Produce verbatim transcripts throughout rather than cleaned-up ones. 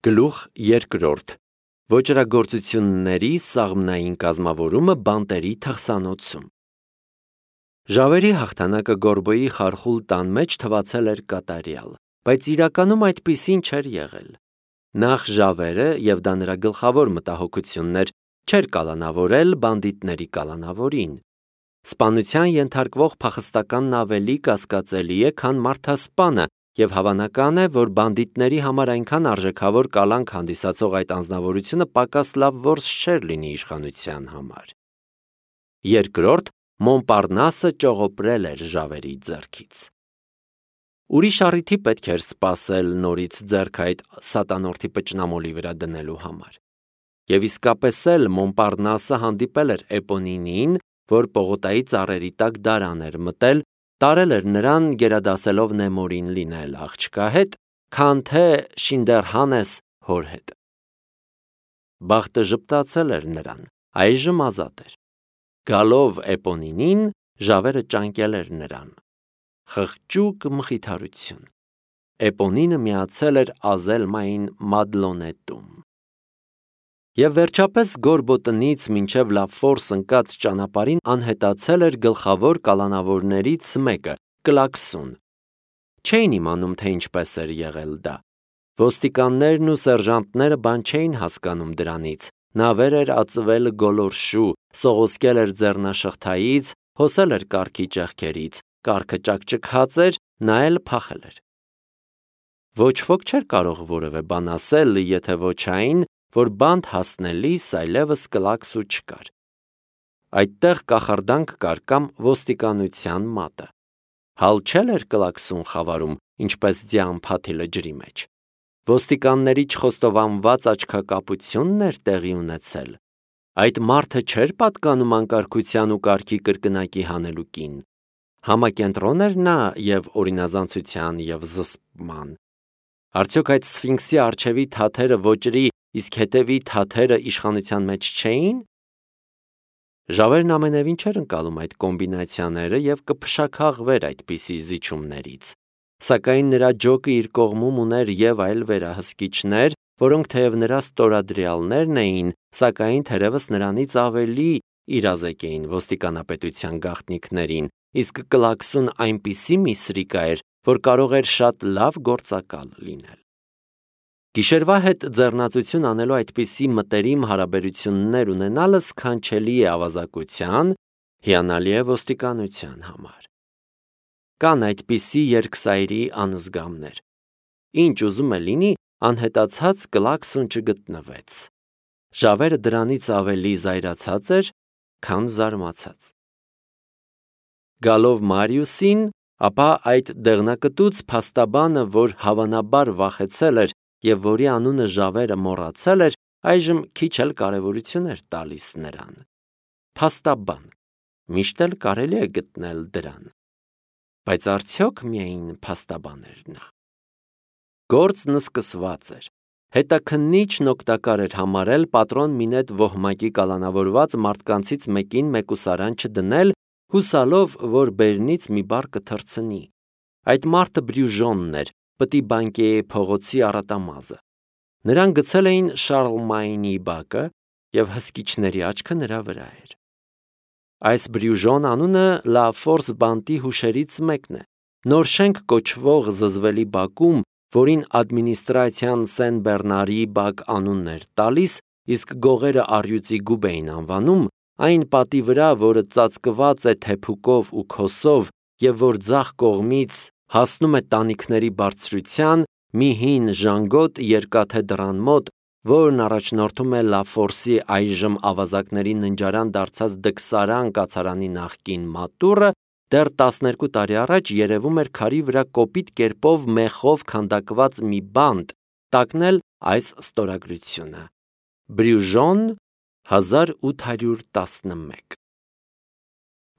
Գլուխ երկրորդ. Ոճրագործությունների սաղմնային կազմավորումը բանտերի թղթանոցում։ Ժավերի հաղթանակը Գորբոյի խարխուլ տան մեջ թվացել էր կատարյալ, բայց իրականում այդպիսին չէր եղել։ Նախ Ժավերը, եւ դա նրա գլխավոր մտահոգությունն էր, չէր կալանավորել բանդիտների կալանավորին։ Սպանության ենթարկվող փախստականն ավելի կասկածելի է, քան մարդասպանը, եւ հավանական է, որ բանդիտների համար այնքան արժեքավոր կալանք հանդիսացող այդ անձնավորությունը պակաս լավ որս չէր լինի իշխանության համար։ Երկրորդ, Մոնպարնասը ճողոպրել էր Ժավերի ձեռքից։ Ուրիշ առիթի պետք էր սպասել նորից ձեռք այդ սատանորդի պճնամոլի վրա դնելու համար։ Եվ իսկապես էլ Մոնպարնասը հանդիպել էր Էպոնինին, որ Պողոտայի ծառերի տակ դարան էր մտել, տարել էր նրան գերադասելով Նեմորին լինել աղջկա հետ, քան թե Շինդերհանես հոր հետ։ Բախտը ժպտացել էր նրան, այժմ ազատ էր։ Գալով Էպոնինին, Ժավերը ճանկել էր նրան։ Խղճուկ մխիթարություն։ Էպոնինը միացել էր Ազելմային Մադլոնետում։ Եվ վերջապես Գորբո տնից մինչև Լաֆորս ընկած ճանապարհին անհետացել էր գլխավոր կալանավորներից մեկը՝ Կլաքսուն։ Չէին իմանում, թե ինչպես էր եղել դա։ Ոստիկաններն ու սերժանտները բան չէին հասկանում դրանից։ Նավեր էր ածվել գոլորշու, սողոսկել էր ձեռնաշղթայից, հոսել էր կառքի ճեղքերից, կառքը ճաքճքած էր, նա էլ փախել էր։ Ոչ ոք չէր կարող որևէ բան ասել, եթե ոչ այն, որ բանտ հասնելիս այլևս Կլաքսու չկար։ Այդտեղ կախարդանք կար կամ ոստիկանության մատը։ Հալ չէր Կլաքսուն խավարում, ինչպես ձյան փաթիլը ջրի մեջ։ Ոստիկանների չխոստովանված աչքակապությունն էր տեղի ունեցել։ Այդ մարդը չէր պատկանում անկարգության ու կարգի կրկնակի հանելուկին։ Համակենտրոն էր նա եւ օրինազանցության եւ զսպման։ Արդյոք այդ սֆինքսի առջևի թաթերը ոճրի, իսկ հետևի թաթերը իշխանության մեջ չէին։ Ժավերն ամենևին չէր ընկալում այդ կոմբինացիաները եւ կփշաքաղվեր այդպիսի զիջումներից։ Սակայն նրա ջոկը իր կողմում ուներ եւ այլ վերահսկիչներ, որոնք թեև նրա ստորադրյալներն էին, սակայն թերևս նրանից ավելի իրազեկ էին ոստիկանապետության գաղտնիքներին, իսկ Կլաքսուն այնպիսի մի սրիկա էր, որ կարող էր շատ լավ գործակալ լինել։ Գիշերվա հետ ձեռնացություն անելու այդպիսի մտերիմ հարաբերություններ ունենալը սքանչելի է ավազակության, հիանալի է ոստիկանության համար։ Կան այդպիսի երկսայրի անզգամներ։ Ինչ ուզում է լինի, անհետացած Կլաքսուն չգտնվեց։ Ժավերը դրանից ավելի զայրացած էր, քան զարմացած։ Գալով Մարիուսին, ապա այդ դեղնակտուց փաստաբանը, որ հավանաբար վախեցել էր եւ որի անունը Ժավերը մոռացել էր, այժմ քիչ էլ կարևորություն էր տալիս նրան։ Փաստաբան, միշտ էլ կարելի է գտնել դրան։ Բայց արդյոք միայն փաստաբան էր նա։ Գործն սկսված էր։ Հետաքննիչն օգտակար էր համարել պատրոն Մինետ Վոհմակի կալանավորված մարդկանցից մեկին մեկուսարան չդնել, հուսալով, որ բերնից մի բառ կթռցնի։ Այդ մարդը Բրյուժոնն էր, Պտի Բանկեի փողոցի առատամազը։ Նրան գցել էին Շարլմայնի բակը, եւ հսկիչների աչքը նրա վրա էր։ Այս Բրյուժոն անունը Լա Ֆորս բանտի հուշերից մեկն է։ Նոր շենք կոչվող զզվելի բակում, որին ադմինիստրացիան Սեն Բեռնարի բակ անունն էր տալիս, իսկ գողերը առյուծի գուբ էին անվանում, այն պատի վրա, որը ծածկված է թեփուկով ու քոսով եւ որ ձախ կողմից հասնում է տանիքների բարձրության, մի հին ժանգոտ երկաթե դռան մոտ, որն առաջնորդում է Լա Ֆորսի այժմ ավազակների ննջարան դարձած դքսարան կացարանի նախկին մատուռը, դեռ տասներկու տարի առաջ երևում էր քարի վրա կոպիտ կերպով մեխով քանդակված մի բանտ, տակնել այս ստորագրությունը։ Բրյուժոն հազար ութ հարյուր տասնմեկ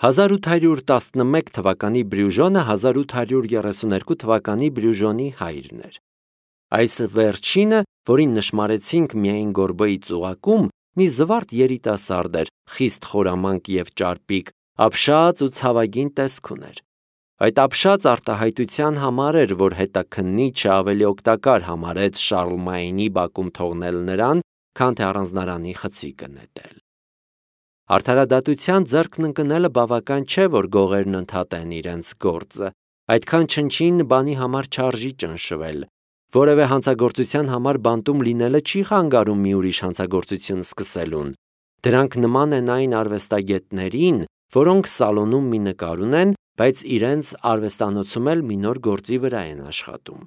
հազար ութ հարյուր տասնմեկ թվականի Բրյուժոնը հազար ութ հարյուր երեսունհինգ թվականի Բրյուժոնի հայրն էր։ Այս վերջինը, որին նշմարեցինք միայն Գորբոյի ծուղակում, մի զվարթ երիտասարդ էր, խիստ խորամանկ եւ ճարպիկ, ապշած ու ցավագին տեսք ուներ։ Այդ ապշած արտահայտության համար էր, որ հետաքննիչը ավելի օգտակար համարեց Շարլմայնի բակում թողնել նրան, քան թե առանձնարանի խցիկը նետել։ Արդարադատության ձեռքն ընկնելը բավական չէ, որ գողերն ընդհատեն իրենց գործը, այդքան չնչին բանի համար չարժի ճնշվել, որևէ հանցագործության համար բանտում լինելը չի խանգարում մի ուրիշ հանցագործություն սկսելուն, դրանք նման են այն արվեստագետներին, որոնք սալոնում մի նկար ունեն, բայց իրենց արվեստանոցում էլ մի նոր գործի վրա են աշխատում։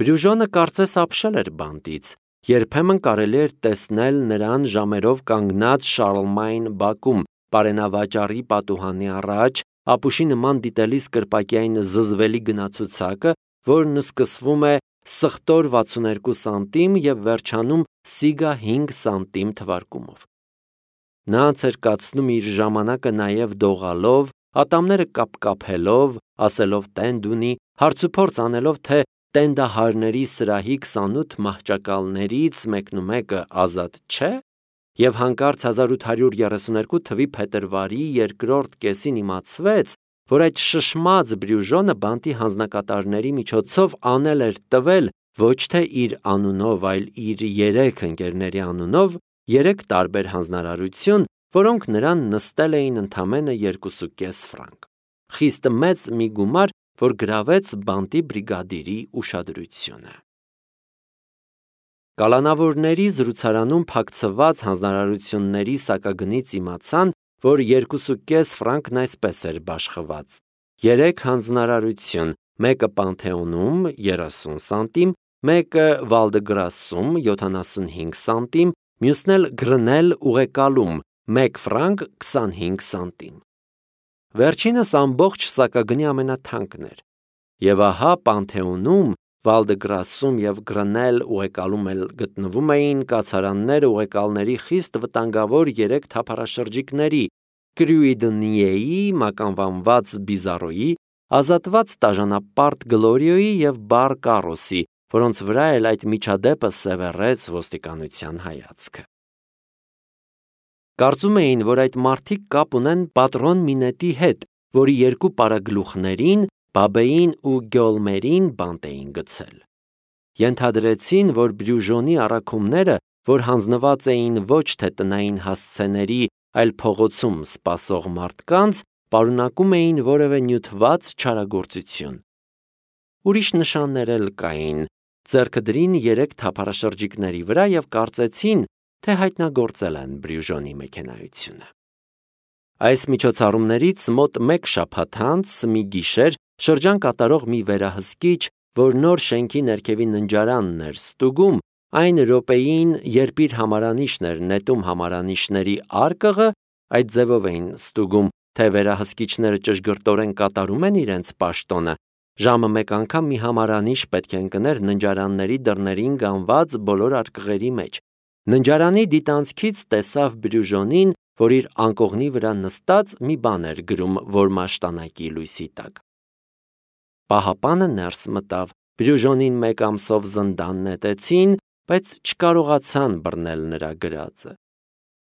Բրյուժոնը կարծես ապշել էր բանտից, երբեմն կարելի էր տեսնել նրան ժամերով կանգնած Շարլմայն բակում, պարենավաճառի պատուհանի առաջ, ապուշի նման դիտելիս կրպակյային զզվելի գնացուցակը, որն սկսվում է սխտոր վաթսուններկու սանտիմ և վերջանում սիգա հինգ սանտիմ թվարկումով։ Նա ցերկացնում իր ժամանակը նաև դողալով, ատամները կապկապելով, ասելով տենդ ունի, հարցուփորձ անելով, թե տենդահարների սրահի քսանութ մահճակալներից մեկնումեկը ազատ չէ, և հանկարծ հազար ութ հարյուր երեսուներկու թվի փետրվարի երկրորդ կեսին իմացվեց, որ այդ շշմած Բրյուժոնը բանտի հանձնակատարների միջոցով անել էր տվել ոչ թե իր անունով, այլ իր երեք ընկերների անունով երեք տարբեր հանձնարարություն, որոնք նրան նստել էին ընդամենը երկուսուկես ֆրանկ, խիստ մեծ մի գումար, որ գրավեց բանտի բրիգադիրի ուշադրությունը։ Կալանավորների զրուցարանում փակցված հանձնարարությունների սակագնից իմացան, որ երկուսուկես ֆրանկն այսպես էր բաշխված. երեք հանձնարարություն, մեկը Պանթեոնում երեսուն սանտիմ, մեկը Վալդեգրասում յոթանասունհինգ սանտիմ, մյուսն էլ Գրնել ուղեկալում մեկ ֆրանկ քսանհինգ սանտիմ։ Վերջինս ամբողջ սակագնի ամենաթանկն էր, և ահա Պանթեոնում, Վալդեգրասում և Գրնել ուղեկալում էլ գտնվում էին կացարանները ուղեկալների խիստ վտանգավոր երեք թափառաշրջիկների՝ Կրյուիդնիեի, մականվանված Բիզարոյի, ազատված տաժանապարտ Գլորիոյի և Բար Կարոսի, որոնց վրա էլ այդ միջադեպը սևեռեց ոստիկանության հայացքը։ Կարծում էին, որ այդ մարդիկ կապ ունեն պատրոն Մինետի հետ, որի երկու պարագլուխներին, Բաբեին ու Գյոլմերին բանտ էին գցել։ Ենթադրեցին, որ Բրյուժոնի առաքումները, որ հանձնված էին ոչ թե տնային հասցեների, այլ փողոցում սպասող մարդկանց, պարունակում էին որևէ նյութված չարագործություն։ Ուրիշ նշաններ էլ կային, ձեռքը դրին երեք թափառաշրջիկների վրա և կարծեցին, թե հայտնագործել են Բրյուժոնի մեքենայությունը։ Այս միջոցառումներից մոտ մեկ շաբաթ անց մի գիշեր շրջան կատարող մի վերահսկիչ, որ նոր շենքի ներքևի ննջարանն էր ստուգում, այն րոպեին, երբ իր համարանիշն էր նետում համարանիշների արկղը, այդ ձևով էին ստուգում, թե վերահսկիչները ճշգրտորեն կատարում են իրենց պաշտոնը, ժամը մեկ անգամ մի համարանիշ պետք է ընկներ ննջարանների դռներին գանված բոլոր արկղերի մեջ։ Ննջարանի դիտանցքից տեսավ Բրյուժոնին, որ իր անկողնի վրա նստած մի բան էր գրում, որ մաշտանակի լույսի տակ։ Պահապանը ներս մտավ, Բրյուժոնին մեկ ամսով զնդան նետեցին, բայց չկարողացան բռնել նրա գրածը։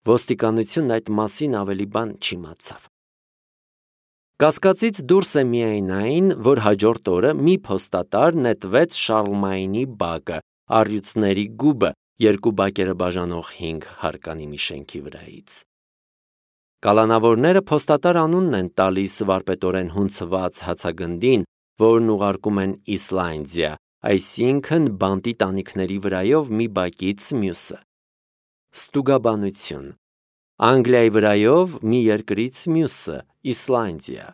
Ոստիկանությունն այդ մասին ավելի բան չիմացավ։ Կասկածից դուրս է միայն այն, որ հաջորդ օրը մի փոստատար նետվեց Շարլմայնի բակը, առյուծների գուբը, երկու բակերը բաժանող հինգ հարկանի մի շենքի վրայից։ Կալանավորները փոստատար անունն են տալիս վարպետորեն հունցված հացագնդին, որն ուղարկում են Իսլանդիա, այսինքն բանտի տանիքների վրայով մի բակից մյուսը։ Ստուգաբանություն. Անգլիայի վրայով մի երկրից մյուսը, Իսլանդիա։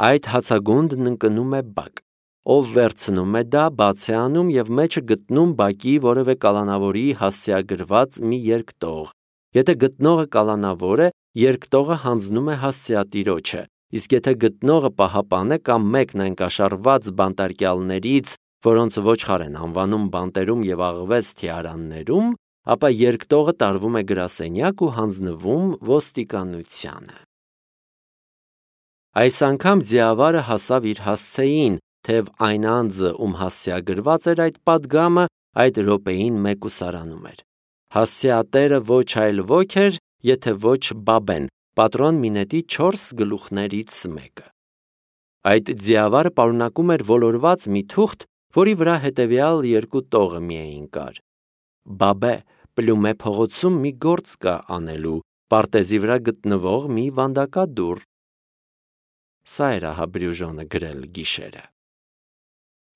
Այդ հացագունդն ընկնում է բակ, ով վերցնում է դա, բաց է անում և մեջը գտնում բակի որևէ կալանավորի հասցեագրված մի երկտող։ Եթե գտնողը կալանավոր է, երկտողը հանձնում է հասցեատիրոջը, իսկ եթե գտնողը պահապան է կամ մեկն այն կաշառված բանտարկյալներից, որոնց ոչխար են անվանում բանտերում և աղվես թիարաններում, ապա երկտողը տարվում է գրասենյակ ու հանձնվում ոստիկանությանը։ Այս անգամ ձիավարը հասավ իր հասցեին, թեև այն անձը, ում հասցեագրված էր այդ պատգամը, այդ րոպեին մեկուսարանում էր։ Հասցեատերը ոչ այլ ոք էր, եթե ոչ Բաբեն, պատրոն մինետի չորս գլուխներից մեկը։ Այդ ձիավարը պարունակում էր ոլորված մի թուղթ, որի վրա հետևյալ երկու տողը միայն կար. Բաբե, Պլյումե փողոցում մի գործ կա անելու, պարտեզի վրա գտնվող մի վանդակադուռ։ Սա էր ահա Բրյուժոնը գրել գիշերը։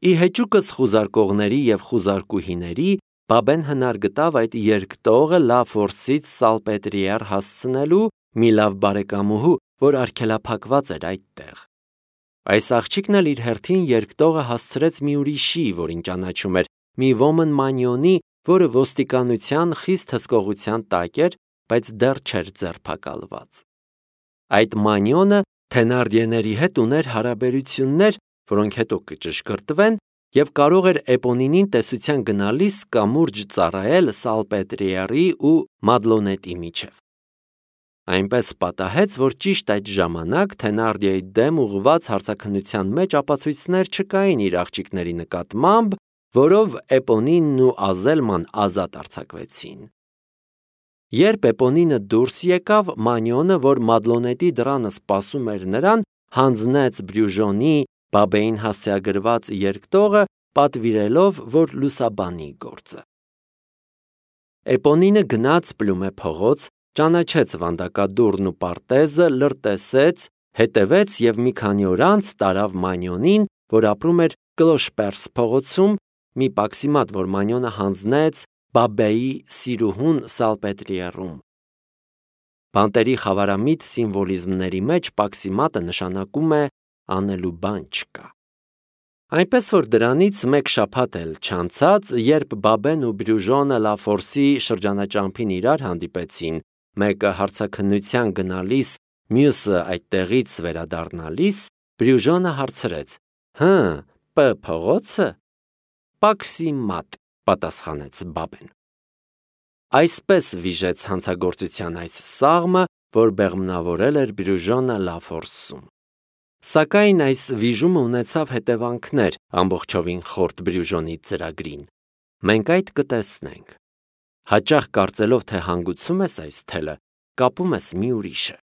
Ի հեճուկս խուզարկողների և խուզարկուհիների Բաբեն հնար գտավ այդ երկտողը Լաֆորսից Սալպետրիեր հասցնելու մի լավ բարեկամուհու, որ արգելափակված էր այդտեղ։ Այս աղջիկն էլ իր հերթին երկտողը հասցրեց մի ուրիշի, որին ճանաչում էր, մի ոմն մանյոնի, որը ոստիկանության խիստ հսկողության տակ էր, բայց դեռ չէր ձերբակալված։ Այդ մանյոնը Թենարդիեների հետ ուներ հարաբերություններ, որոնք հետո կճշգրտվեն, և կարող էր Էպոնինին տեսության գնալիս կամուրջ ծառայել Սալպետրիերի ու Մադլոնետի միջև։ Այնպես պատահեց, որ ճիշտ այդ ժամանակ Թենարդիեի դեմ ուղղված հարցաքննության մեջ ապացույցներ չկային իր աղջիկների նկատմամբ, որով Էպոնինն ու Ազելման ազատ արձակվեցին։ Երբ Էպոնինը դուրս եկավ, մանյոնը, որ Մադլոնետի դռանը սպասում էր նրան, հանձնեց Բրյուժոնի Բաբեին հասցեագրված երկտողը, պատվիրելով, որ լուսաբանի գործը։ Էպոնինը գնաց Պլյումե փողոց, ճանաչեց վանդակադուռն ու պարտեզը, լրտեսեց, հետևեց և մի քանի օր անց տարավ մանյոնին, որ ապրում էր Կլոշպերս փողոցում, մի պաքսիմատ, որ մանյոնը հանձնեց Բաբեի սիրուհուն Սալպետրիերում։ Բանտերի խավարամիտ սիմվոլիզմների մեջ պաքսիմատը նշանակում է անելու բան չկա։ Այնպես որ դրանից մեկ շաբաթ էլ չանցած, երբ Բաբեն ու Բրյուժոնը Լաֆորսի շրջանաճամփին իրար հանդիպեցին, մեկը հարցաքննության գնալիս, մյուսը այդտեղից վերադառնալիս, Բրյուժոնը հարցրեց. «Հը, Պ փողոցը»։ «Պաքսիմատ», պատասխանեց Բաբեն։ Այսպես վիժեց հանցագործության այս սաղմը, որ բեղմնավորել էր Բրյուժոնը Լաֆորսում։ Սակայն այս վիժումը ունեցավ հետևանքներ ամբողջովին խորտ Բրյուժոնի ծրագրին։ Մենք այդ կտեսնենք։ Հաճախ կարծելով, թե հանգուցում ես այս թելը, կապում ես մի ուրիշը։